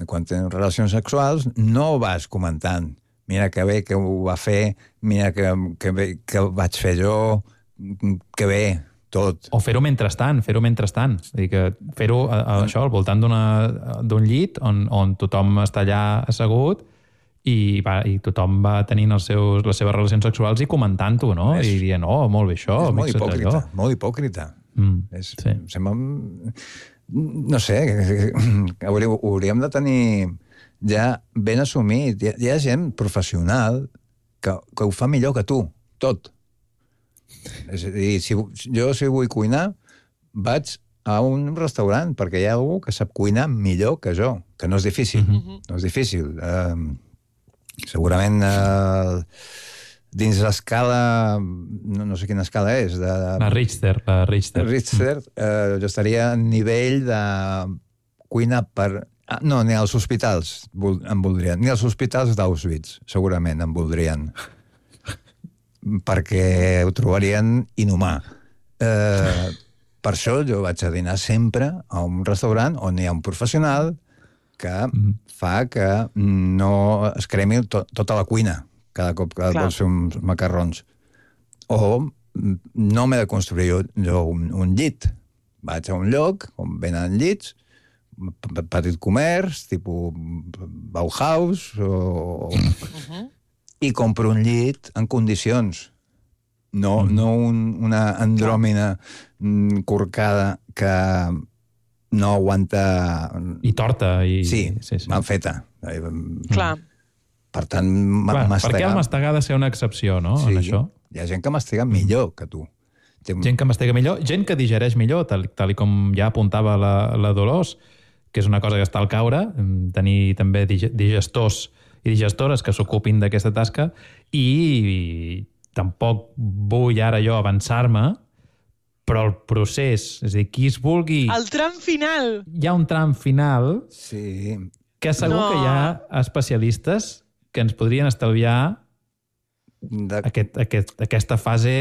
quan tens relacions sexuals, no vas comentant mira que bé que ho va fer, mira que, que bé que vaig fer jo, que bé, tot. O fer-ho mentrestant, fer-ho mentrestant. És a dir, que fer-ho a, a, això al voltant d'un llit on, on tothom està allà assegut i, va, i tothom va tenint els seus, les seves relacions sexuals i comentant-ho, no? És, I dient, oh, molt bé això. És molt hipòcrita, allò. molt hipòcrita. Mm, és, sí. Sembla... No sé, hauríem de tenir ja ben assumit. Hi ha, hi ha gent professional que, que ho fa millor que tu, tot. És a dir, si, jo si vull cuinar, vaig a un restaurant, perquè hi ha algú que sap cuinar millor que jo, que no és difícil. Mm-hmm. No és difícil. Uh, segurament uh, dins l'escala, no, no sé quina escala és, de, la Richter. La Richter, Richter uh, jo estaria a nivell de cuina per... Ah, no, ni als hospitals em voldrien. Ni als hospitals d'Auschwitz, segurament, em voldrien. Perquè ho trobarien inhumà. Eh, per això jo vaig a dinar sempre a un restaurant on hi ha un professional que mm. fa que no es cremi to tota la cuina cada cop que Clar. vols fer uns macarrons. O no m'he de construir jo, jo un, un llit. Vaig a un lloc on venen llits, petit comerç, tipus Bauhaus, o... Uh-huh. i compro un llit en condicions. No, mm. no un, una andròmina mm, corcada que no aguanta... I torta. I... Sí, sí, sí. mal feta. Clar. Per tant, Clar, mastegar... Per què el mastegar ha de ser una excepció, no? Sí, en això? Hi ha gent que mastega millor que tu. Gent que mastega millor, gent que digereix millor, tal, tal com ja apuntava la, la Dolors, que és una cosa que està al caure, tenir també digestors i digestores que s'ocupin d'aquesta tasca, i tampoc vull ara jo avançar-me, però el procés, és a dir, qui es vulgui... El tram final! Hi ha un tram final sí. que segur no. que hi ha especialistes que ens podrien estalviar de... aquest, aquest, aquesta fase...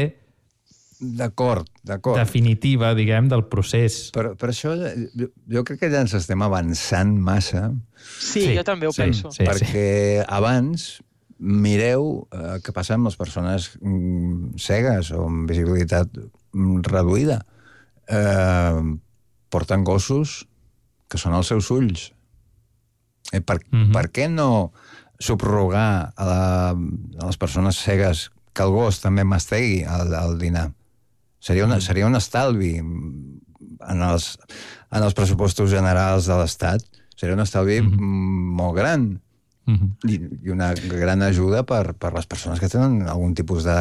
D'acord, d'acord. Definitiva, diguem, del procés. Per, per això jo, jo crec que ja ens estem avançant massa. Sí, sí jo també ho sí, penso. Sí, perquè sí. abans mireu eh, què passa amb les persones mm, cegues o amb visibilitat mm, reduïda. Eh, porten gossos que són els seus ulls. Eh, per, mm-hmm. per què no subrogar a, la, a les persones cegues que el gos també mastegui al, al dinar? Seria, una, seria un estalvi en els, en els pressupostos generals de l'Estat. Seria un estalvi mm-hmm. molt gran mm-hmm. i, i una gran ajuda per, per les persones que tenen algun tipus de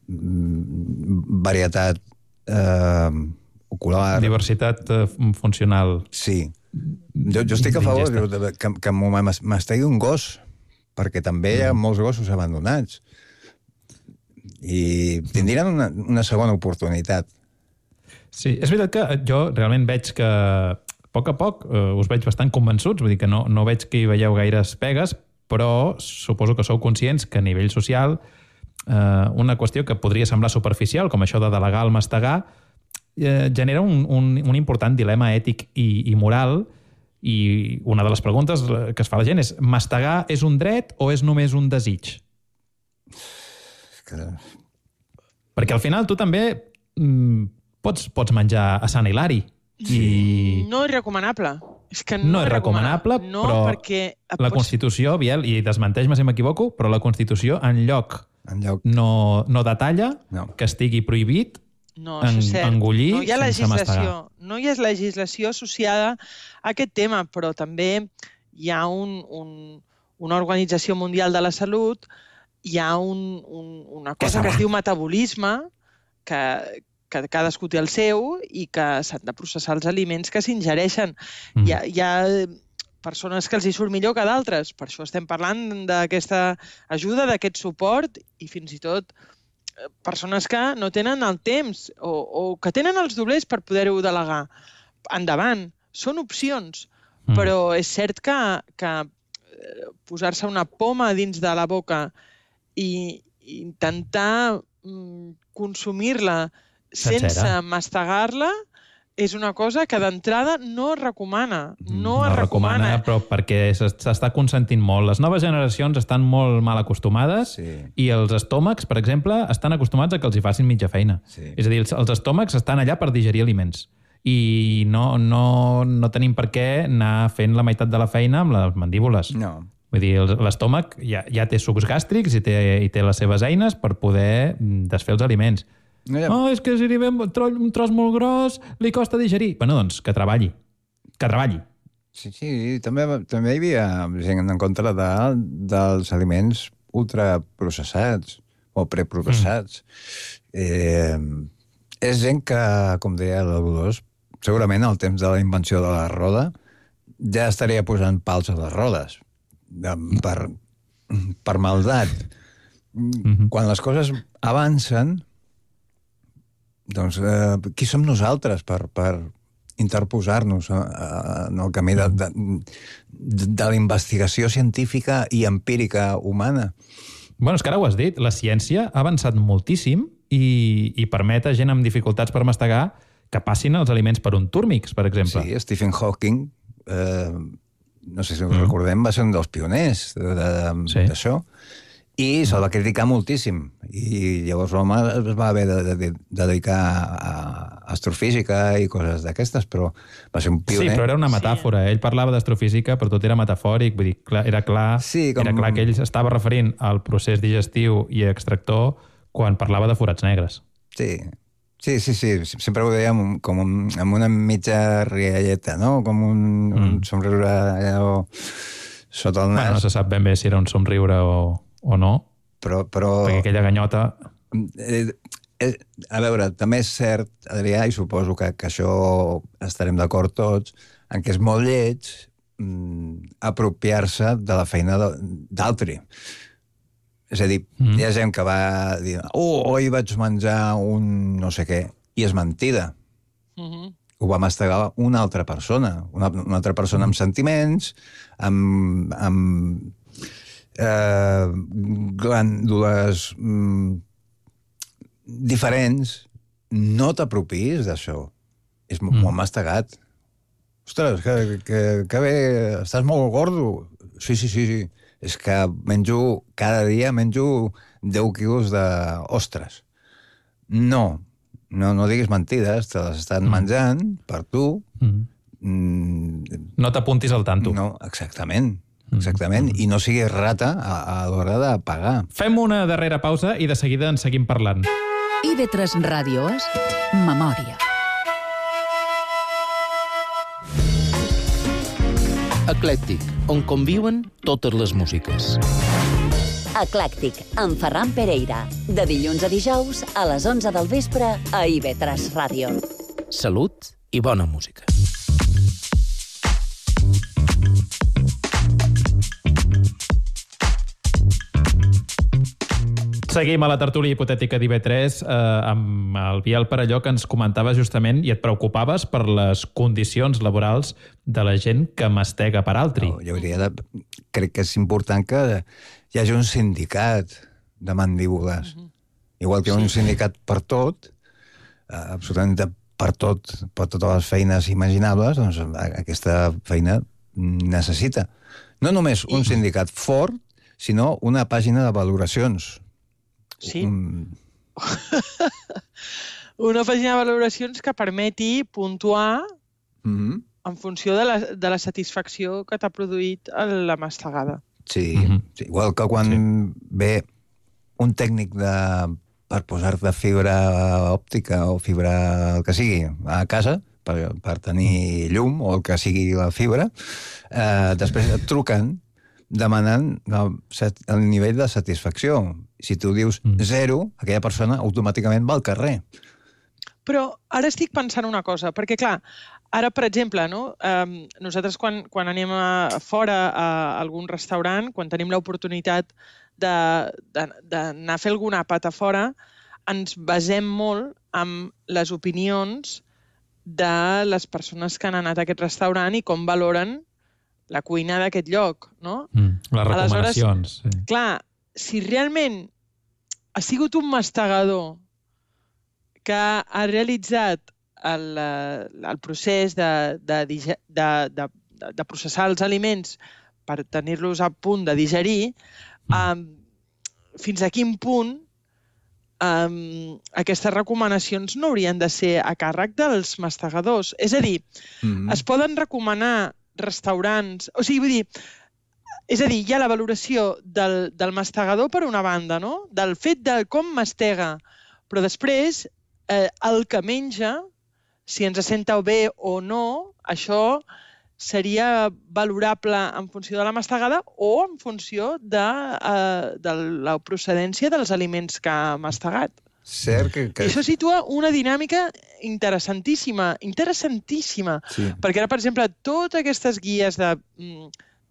varietat eh, ocular... Diversitat eh, funcional. Sí. Jo, jo estic a favor que, que m'ho mastegui un gos, perquè també hi ha molts gossos abandonats. I tindrien una, una segona oportunitat. Sí, és veritat que jo realment veig que a poc a poc eh, us veig bastant convençuts, vull dir que no, no veig que hi veieu gaires pegues, però suposo que sou conscients que a nivell social eh, una qüestió que podria semblar superficial, com això de delegar el mastegar, eh, genera un, un, un important dilema ètic i, i moral, i una de les preguntes que es fa la gent és: mastegar és un dret o és només un desig? Que... Perquè al final tu també mm, pots, pots menjar a Sant Hilari. Sí. I... No és recomanable. És que no, no és recomanable, no, però perquè... la Constitució, Biel, i desmenteix-me si m'equivoco, però la Constitució en lloc, en lloc... no, no detalla no. que estigui prohibit no, en, engollir no hi ha sense mastegar. No hi ha legislació associada a aquest tema, però també hi ha un, un, una Organització Mundial de la Salut, hi ha un, un, una cosa que es diu metabolisme, que, que cadascú té el seu i que s'han de processar els aliments que s'ingereixen. Mm. Hi, ha, hi ha persones que els hi surt millor que d'altres. Per això estem parlant d'aquesta ajuda, d'aquest suport i fins i tot persones que no tenen el temps o, o que tenen els doblers per poder-ho delegar. Endavant, són opcions, mm. però és cert que, que posar-se una poma dins de la boca i intentar mm, consumir-la sense Sencera. mastegar-la és una cosa que d'entrada no es recomana. No, no es recomana, recomana, però perquè s'està consentint molt. Les noves generacions estan molt mal acostumades sí. i els estómacs, per exemple, estan acostumats a que els hi facin mitja feina. Sí. És a dir, els, els estómacs estan allà per digerir aliments i no, no, no tenim per què anar fent la meitat de la feina amb les mandíbules. No. Vull dir, l'estómac ja, ja té sucs gàstrics i té, i té les seves eines per poder desfer els aliments. No, ja... oh, és que si li ve un tros, un tros molt gros li costa digerir. Bueno, doncs, que treballi. Que treballi. Sí, sí, també, també hi havia gent en contra de, dels aliments ultraprocessats o preprocessats. Mm. Eh, és gent que, com deia la Dolors, segurament al temps de la invenció de la roda ja estaria posant pals a les rodes. Per, per maldat. Mm-hmm. Quan les coses avancen, doncs eh, qui som nosaltres per, per interposar-nos en el camí de, de, de la investigació científica i empírica humana? Bueno, és que ara ho has dit, la ciència ha avançat moltíssim i, i permet a gent amb dificultats per mastegar que passin els aliments per un túrmix, per exemple. Sí, Stephen Hawking, eh, no sé si ho mm. recordem, va ser un dels pioners d'això, sí. i se'l va criticar moltíssim. I llavors l'home es va haver de, de, de dedicar a astrofísica i coses d'aquestes, però va ser un pioner. Sí, però era una metàfora. Sí. Ell parlava d'astrofísica, però tot era metafòric. Vull dir, clar, era, clar, sí, com... era clar que ell estava referint al procés digestiu i extractor quan parlava de forats negres. Sí, sí, sí, sí. Sempre ho deia amb, com un, amb una mitja rialleta, no? Com un, mm. un somriure allò sota el nas. Bueno, no se sap ben bé si era un somriure o, o no, però, però... perquè aquella ganyota... Eh, eh, a veure, també és cert, Adrià, i suposo que, que això estarem d'acord tots, en què és molt lleig mm, apropiar-se de la feina d'altri. És a dir, mm. hi ha gent que va dir oh, oi vaig menjar un no sé què, i és mentida. Mm-hmm. Ho va mastegar una altra persona, una, una altra persona amb sentiments, amb, amb eh, glàndules mm, diferents. No t'apropiïs d'això. És mm. molt mastegat. Ostres, que, que, que bé, estàs molt gordo. Sí, sí, sí, sí. És que menjo, cada dia menjo deu quilos d'ostres. No, no, no diguis mentides, te les estan mm. menjant per tu. Mm. Mm. No t'apuntis al tanto. No, exactament, exactament. Mm. I no siguis rata a, a l'hora de pagar. Fem una darrera pausa i de seguida en seguim parlant. I V tres Ràdio és Memòria. Eclèctic, on conviuen totes les músiques. Eclèctic, amb Ferran Pereira. De dilluns a dijous, a les onze del vespre, a I V tres Ràdio. Salut i bona música. Seguim a la tertúlia hipotètica d'I V tres eh, amb el Biel Perelló, que ens comentava justament i et preocupaves per les condicions laborals de la gent que mastega per altri. No, jo hauria de... Crec que és important que hi hagi un sindicat de mandíbules. Mm-hmm. Igual que hi ha un sindicat per tot, eh, absolutament per tot, per totes les feines imaginables, doncs aquesta feina necessita. No només un sindicat fort, sinó una pàgina de valoracions. Sí. Un... Una pàgina de valoracions que permeti puntuar mm-hmm. en funció de la, de la satisfacció que t'ha produït la mastegada. Sí, mm-hmm. sí, igual que quan sí. ve un tècnic de, per posar-te fibra òptica o fibra el que sigui a casa, per, per tenir llum o el que sigui la fibra, eh, després et truquen demanant el, el nivell de satisfacció. Si tu dius zero, aquella persona automàticament va al carrer. Però ara estic pensant una cosa, perquè clar, ara, per exemple, no, eh, nosaltres quan, quan anem a fora a algun restaurant, quan tenim l'oportunitat d'anar a fer algun àpat a fora, ens basem molt en les opinions de les persones que han anat a aquest restaurant i com valoren la cuina d'aquest lloc, no? Mm, les recomanacions. Aleshores, sí. Clar, si realment ha sigut un mastegador que ha realitzat el, el procés de, de, de, de, de processar els aliments per tenir-los a punt de digerir, mm. um, fins a quin punt um, aquestes recomanacions no haurien de ser a càrrec dels mastegadors? És a dir, mm. es poden recomanar restaurants... O sigui, vull dir, és a dir, hi ha la valoració del, del mastegador per una banda, no? Del fet de com mastega, però després eh, el que menja, si ens senta bé o no, això seria valorable en funció de la mastegada o en funció de, eh, de la procedència dels aliments que ha mastegat. Cert que... que... I això situa una dinàmica interessantíssima, interessantíssima. Sí. Perquè ara, per exemple, totes aquestes guies de,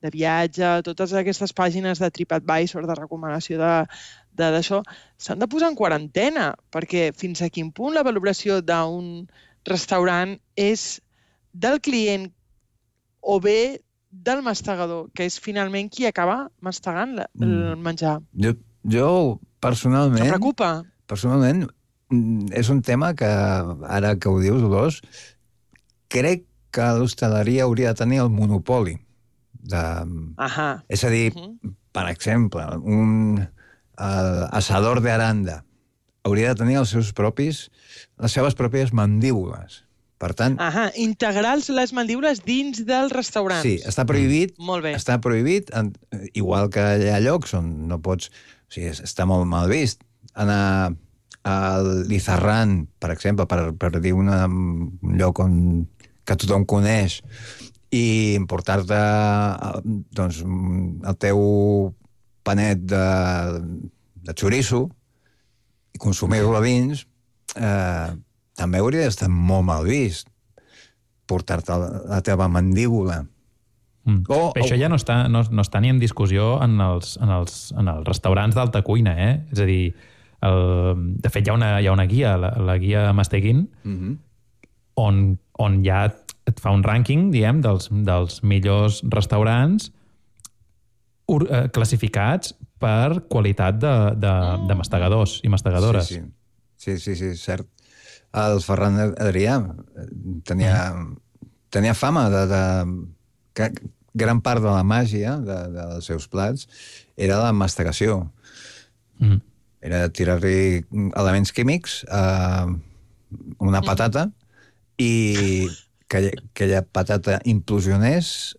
de viatge, totes aquestes pàgines de TripAdvisor, de recomanació d'això, s'han de posar en quarantena, perquè fins a quin punt la valoració d'un restaurant és del client o bé del mastegador, que és finalment qui acaba mastegant la, el menjar. Jo, jo personalment... Em preocupa. Personalment, és un tema que, ara que ho dius, Dolors, crec que l'hostaleria hauria de tenir el monopoli. De... Ahà. És a dir, uh-huh. per exemple, un uh, asador de Aranda hauria de tenir els seus propis, les seves pròpies mandíbules. Per tant... Ahà, integrar les mandíbules dins dels restaurants. Sí, està prohibit. Mm. Molt bé. Està prohibit, en, igual que hi ha llocs on no pots... O sigui, està molt mal vist anar al Lizarran, per exemple, per, per dir una, un lloc on, que tothom coneix, i portar-te doncs, el teu panet de, de xoriço i consumir-lo a dins, eh, també hauria d'estar molt mal vist portar-te la teva mandíbula. Mm. O, Però això ja no està, no, no està ni en discussió en els, en els, en els restaurants d'alta cuina, eh? És a dir, el, de fet, hi ha una, hi ha una guia, la, la guia Masteguin, mm-hmm. on, on ja et fa un rànquing, diguem, dels, dels millors restaurants ur, eh, classificats per qualitat de, de, de mastegadors i mastegadores. Sí, sí, sí, sí, sí, cert. El Ferran Adrià tenia, mm. tenia fama de, de que gran part de la màgia de, de, dels seus plats era la mastegació. Mm. Era tirar-li elements químics a una patata i que aquella patata implosionés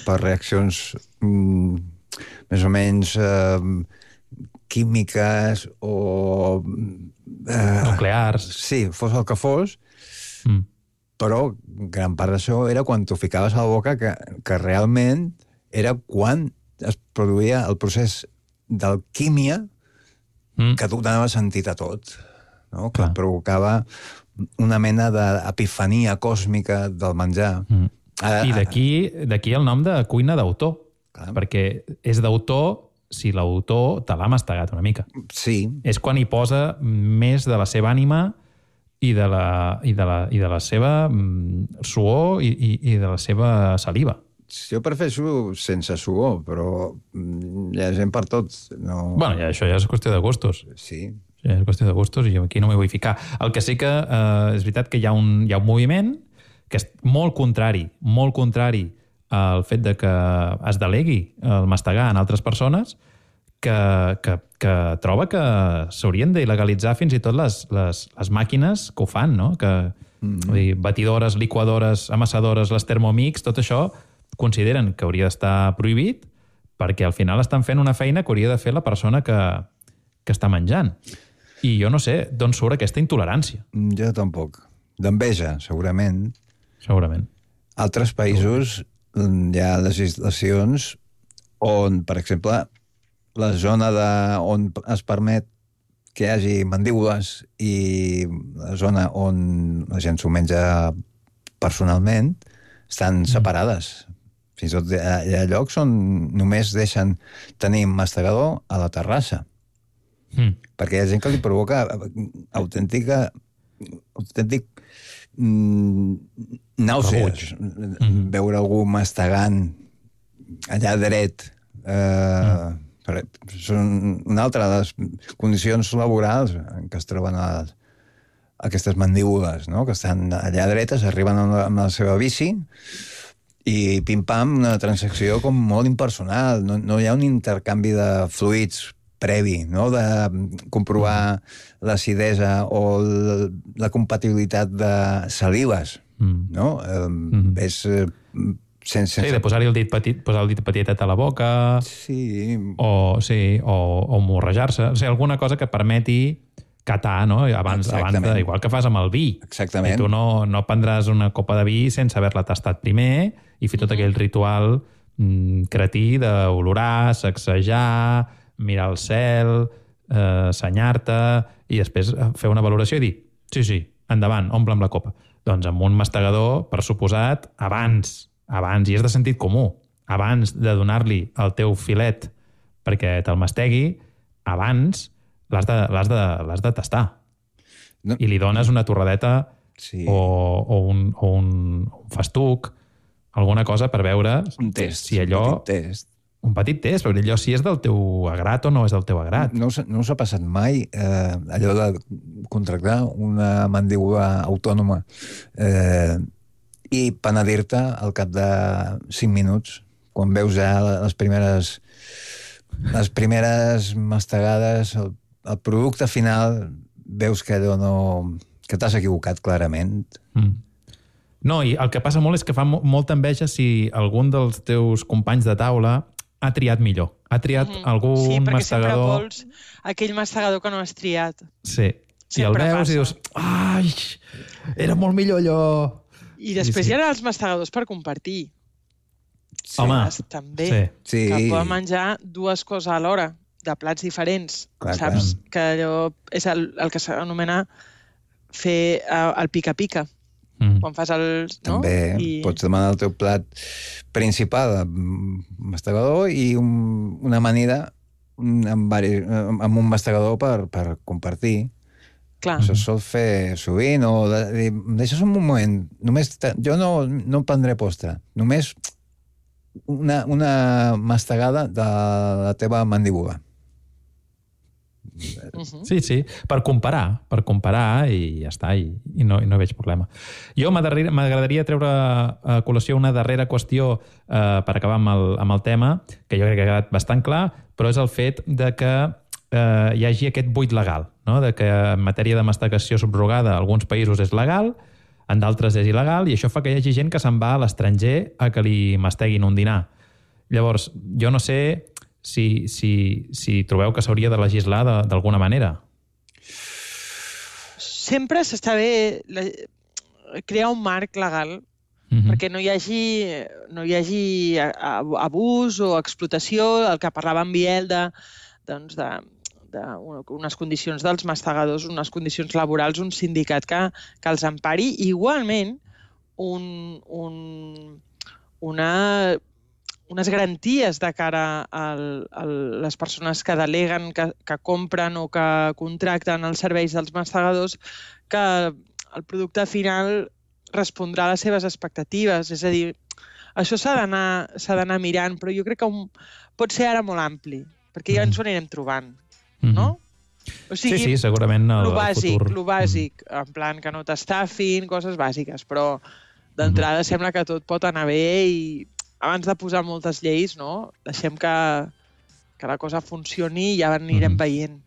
per reaccions mm, més o menys eh, químiques o... Eh, nuclears. Sí, fos el que fos, mm. però gran part d'això era quan t'ho ficaves a la boca que, que realment era quan es produïa el procés d'alquímia mm. que donava sentit a tot, no? Que provocava una mena d'epifania còsmica del menjar. Mm. Ara, I d'aquí d'aquí el nom de cuina d'autor, perquè és d'autor si l'autor te l'ha mastegat una mica. Sí. És quan hi posa més de la seva ànima i de la, i de la, i de la seva suor i, i, i de la seva saliva. Jo prefereixo sense suor, però hi ha gent per tots. No... Bueno, ja, això ja és qüestió de gustos. Sí. Ja és qüestió de gustos i jo aquí no m'hi vull ficar. El que sí que eh, és veritat que hi ha un, hi ha un moviment que és molt contrari, molt contrari al fet de que es delegui el mastegar en altres persones, que, que, que troba que s'haurien d'il·legalitzar fins i tot les, les, les màquines que ho fan, no? Que, mm-hmm. vull dir, batidores, liquadores, amassadores, les Thermomix, tot això consideren que hauria d'estar prohibit perquè al final estan fent una feina que hauria de fer la persona que, que està menjant. I jo no sé d'on surt aquesta intolerància. Jo tampoc. D'enveja, segurament. Segurament. Altres països hi ha legislacions on, per exemple, la zona de, on es permet que hi hagi mandíbules i la zona on la gent s'ho menja personalment estan separades. Fins i tot hi ha, hi ha llocs on només deixen tenir mastegador a la terrassa. Mm. Perquè hi ha gent que li provoca autèntica autèntic mm, nàusees. Mm-hmm. Veure algú mastegant allà dret. Eh, mm. Són una altra de les condicions laborals en què es troben a, aquestes mandíbules, no? Que estan allà dretes, arriben amb la, amb la seva bici i pim-pam, una transacció com molt impersonal. No, no hi ha un intercanvi de fluids previ, no? De comprovar l'acidesa o la compatibilitat de salives, mm. no? Eh, mm. És... Eh, sense... Sí, de posar-hi el dit petit, posar el dit petitet a la boca... Sí. O, sí, o, o morrejar-se. O sigui, alguna cosa que permeti catar, no? Abans, abans de, igual que fas amb el vi. Exactament. I tu no, no prendràs una copa de vi sense haver-la tastat primer i fer tot aquell ritual mm, cretí d'olorar, sacsejar, mirar el cel, eh, senyar-te i després fer una valoració i dir sí, sí, endavant, omple'm la copa. Doncs amb un mastegador, per suposat, abans, abans, i és de sentit comú, abans de donar-li el teu filet perquè te'l mastegui, abans l'has de, l'has de, l'has de tastar. No. I li dones una torradeta sí. o, o, un, o un, un festuc, alguna cosa per veure un test, si allò... Un petit test. Un petit test, perquè allò si és del teu agrat o no és del teu agrat. No, no us ha passat mai eh, allò de contractar una mandíbula autònoma eh, i penedir-te al cap de cinc minuts, quan veus ja les primeres les primeres mastegades, el, el producte final, veus que allò no... que t'has equivocat clarament. Mm. No, i el que passa molt és que fa molta enveja si algun dels teus companys de taula ha triat millor. Ha triat mm-hmm. algun sí, perquè mastegador... sempre vols aquell mastegador que no has triat. Sí. Si el veus passa. I dius, ai, era molt millor allò... I després sí, sí. hi ha els mastegadors per compartir. Sí. Home, també, sí. que poden menjar dues coses alhora, de plats diferents. Clar, saps? Clar. Que allò és el, el que s'anomena fer uh, el pica-pica. Mm. Quan fas el... No? També I... pots demanar el teu plat principal mastegador i un, una amanida amb, vari, amb un mastegador per, per compartir. Clar. Això es sol fer sovint, o de, de, deixes un moment, només, jo no, no prendré postre, només una, una mastegada de la teva mandíbula. Uh-huh. Sí, sí, per comparar, per comparar i ja està, i, i, no, i no veig problema. Jo m'agradaria treure a col·lació una darrera qüestió eh, per acabar amb el, amb el tema, que jo crec que ha quedat bastant clar, però és el fet de que eh, hi hagi aquest buit legal, no? De que en matèria de mastegació subrogada a alguns països és legal, en d'altres és il·legal, i això fa que hi hagi gent que se'n va a l'estranger a que li masteguin un dinar. Llavors, jo no sé si, si, si trobeu que s'hauria de legislar d'alguna manera. Sempre s'està bé la... crear un marc legal mm-hmm. perquè no hi hagi, no hi hagi abús o explotació, el que parlava en Biel de doncs, de, de unes condicions dels mastegadors, unes condicions laborals, un sindicat que, que els empari. Igualment, un, un, una, unes garanties de cara a, a les persones que deleguen, que, que compren o que contracten els serveis dels mastegadors, que el producte final respondrà a les seves expectatives. És a dir, això s'ha d'anar s'ha d'anar mirant, però jo crec que un, pot ser ara molt ampli, perquè ja ens ho anirem trobant, no? O sigui, sí, sí, segurament el, lo bàsic, el futur. lo bàsic, en plan que no t'estafin, coses bàsiques, però d'entrada mm-hmm. sembla que tot pot anar bé i abans de posar moltes lleis, no? Deixem que, que la cosa funcioni i ja anirem mm-hmm. veient.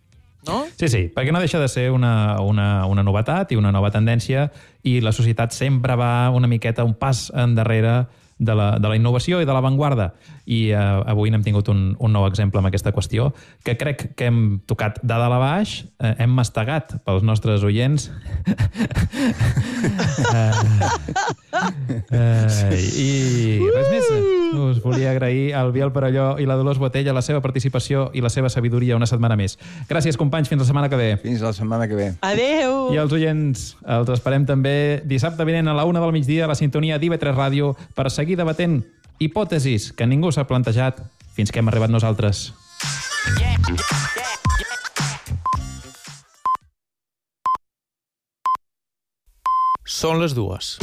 No? Sí, sí, perquè no deixa de ser una, una, una novetat i una nova tendència i la societat sempre va una miqueta, un pas endarrere de la, de la innovació i de l'avantguarda. I eh, avui n'hem tingut un, un nou exemple amb aquesta qüestió, que crec que hem tocat de dalt a baix, eh, hem mastegat pels nostres oients. eh, eh, I res més. Us volia agrair al Biel Perelló i la Dolors Botella la seva participació i la seva sabidoria una setmana més. Gràcies, companys. Fins la setmana que ve. Fins la setmana que ve. Adéu! I els oients, els esperem també dissabte vinent a la una del migdia a la sintonia d'I V tres Ràdio per seguir debatent hipòtesis que ningú s'ha plantejat fins que hem arribat nosaltres. Són les dues.